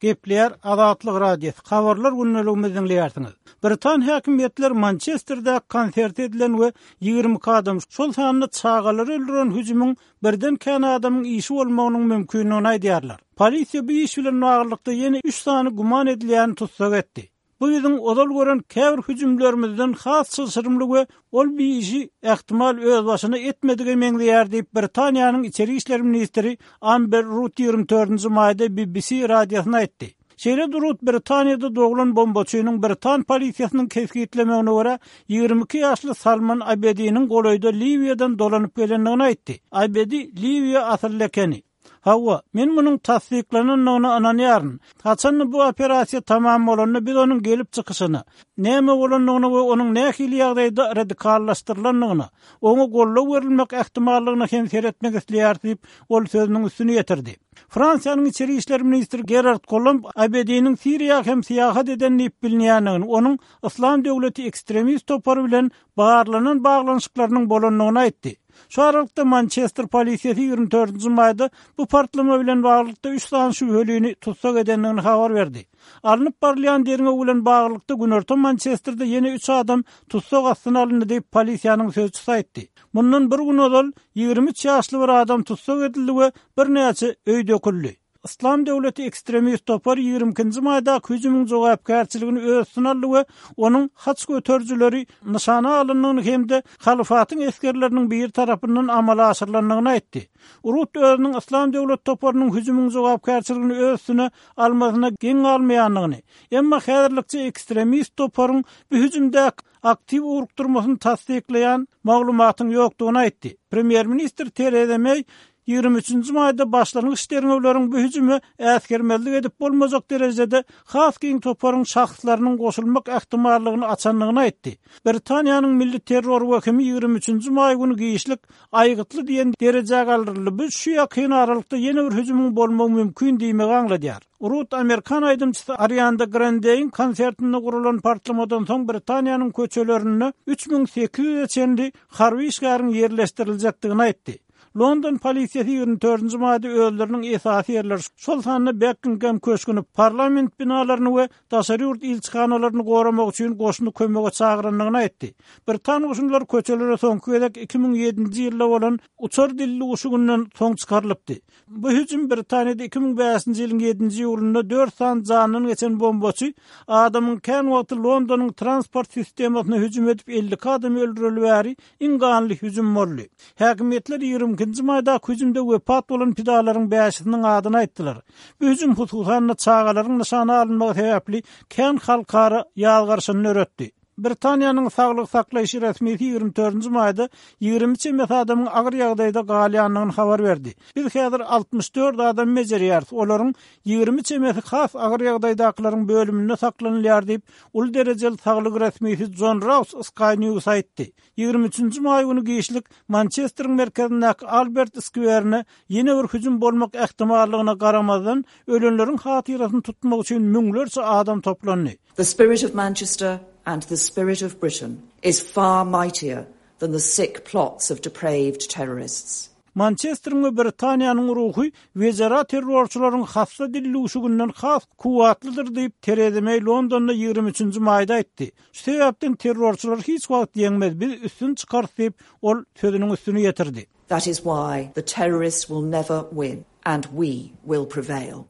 Gepleýär Azatlyk Radiosy, Habarlar gündeligimizi diňleýärsiňiz. Britan häkimiýetleri Mançesterdäki konsert edilen we 22 adam, şol sanda çagalary öldüren hüjümiň birden kän adamyň işi bolmagynyň mümkindigini aýdýarlar. Polisiýa bu iş bilen baglylykda ýene üç sany güman edilýäni tussag etdi. Bu biziň ozal gören käbir hüjümlerimizden has çylşyrymly we ol bir işi ähtimal özbaşyna etmedige meňzeýär diýip, Britaniýanyň içeri işler ministri Amber Rudd 24-nji maýda BBC radiosyna aýtdy. Şeýle-de Rudd Britaniýada doglan bombaçynyň britan polisiýasynyň kesgitlemegine görä, 22 ýaşly Salman Abediniň golaýda Liwiýadan dolanyp gelendigini aýtdy. Abedi liwiýa asylly ekeni. Hawa, men munuň tassyklanandygyna ynanýaryn. Haçan-da bu operasiýa tamam bolanda biz onuň gelip çykyşyna, näme bolandygyna we onuň nähili ýagdaýda radikallaşdyrylandygyna, oňa goldaw berilmek ähtimallygyna hem seretmek isleýäris diýip, ol sözüniň üstüni ýetirdi. Fransiýanyň içeri işler ministri Gerard Kolomb Abediniň Siriýa hem syýahat eden diýip bilinýändigini, onuň Yslam döwleti ekstremist topary bilen barlanan baglanyşyklarynyň bolandygyny aýtdy. Şu aralykda Mançester polisiýasy 24 nji maýda bu partlama bilen baglylykda üç sany şübhelini tussag edendigini habar berdi. Alnyp barylýan derňew bilen baglylykda günorta Mançesterde ýene üç adam tussag astyna alyndy diýip, polisiýanyň sözçüsi aýtdy. Mundan bir gün ozal 23 ýaşly bir adam tussag edildi we birnäçe öý döküldi. Yslam döwleti ekstremist topary 22-nji maýdaky hüjümiň jogapkärçiligini öz üstüne aldy we onuň haç göterijileri nyşana alyndygyny hem-de halyfatyň esgerleriniň biri tarapyndan amala aşyrylandygyny aýtdy. Rut özüniň Yslam döwleti toparynyň hüjümiň jogapkärçiligini öz üstüne almasyna geň galmaýandygyny, emma häzirlikçe ekstremist toparyň bu hüjümdäki aktiw ugrukdyrmasyny tassyklaýan maglumatyň ýokdugyny aýtdy. Premýer-ministr Tereza Meý 23-nji maýda başlangyç derňewleriň bu hüjüme äsgermezlik edip bolmajak derejede has giň toparyň şahslarynyň goşulmak ähtimallygyny açandygyny aýtdy. Britaniýanyň milli terror wehimi 23-nji maý güni giçlik aýgytly diýen derejä galdyryldy, bu şu ýakyn aralykda ýene bir hüjümiň bolmagy mümkin diýmegi aňladýar. Rut amerikan aýdymçysy Arianda Grandeýiň konsertinde guralan partlamadan soň Britaniýanyň köçelerinde 3800-e çenli harby işgäriň ýerleşdiriljekdigini aýtdy. London polisiýasy 24-nji maýda özleriniň esasy ýerleri, şol sanda Bekingem köşgüni, parlament binalaryny we daşary ýurt ilçihanalaryny goramak üçin goşuny kömege çagyrandygyny aýtdy. Britan goşunlary köçelere soňky gezek 2007-nji ýylda bolan uçar dildüwüşiginden soň çykarylypdy. Bu hüjüm Britaniýada 2005-nji ýylyň ýedinji iýulynda dört sany janyndan geçen bombaçy adamyň kän wagty Londonyň transport sistemasyna hüjüm edip 52 adamy öldüreli bäri iň ganly hüjüm boldy. Häkimiýetler 22-nji maýdaky hüjümde wepat bolan pidalaryň bäşisiniň adyny aýtdylar. Bu hüjüm hususan-da çagalaryň nyşana alynmagy sebäpli kän halkara ýazgaryşyny döretdi. Britaniýanyň saglygy saklaýyş resmisi 24-nji maýda 20 çemesi adamyň agyr ýagdaýda galýandygyny habar berdi. Biz häzir 64 adamy bejerýäris, olaryň 20 çemesi has agyr ýagdaýdakylaryň bölüminde saklanylýar diýip, uly derejeli saglyk resmisi Jon Raus Sky News aýtdy. 23-nji maý güni giçlik Mançesteriň merkezindäki Albert skwerine ýene bir hüjüm bolmak ähtimallygyna garamazdan, ölenleriň hatyrasyny tutmak üçin müňlerçe adam toplandy. The spirit of Manchester and the spirit of Britain is far mightier than the sick plots of depraved terrorists. Mançesteriň we Britaniýanyň ruhy wejera terrorçylaryň hassa dildüwşüginden has kuwwatlydyr diýip, Tereza Meý Londonda 23-nji maýda aýtdy. Şu sebäpden terrorçylar hiç wagt ýeňmez, biz üstün çykarys diýip, ol sözüniň üstüni ýetirdi. That is why the terrorists will never win and we will prevail.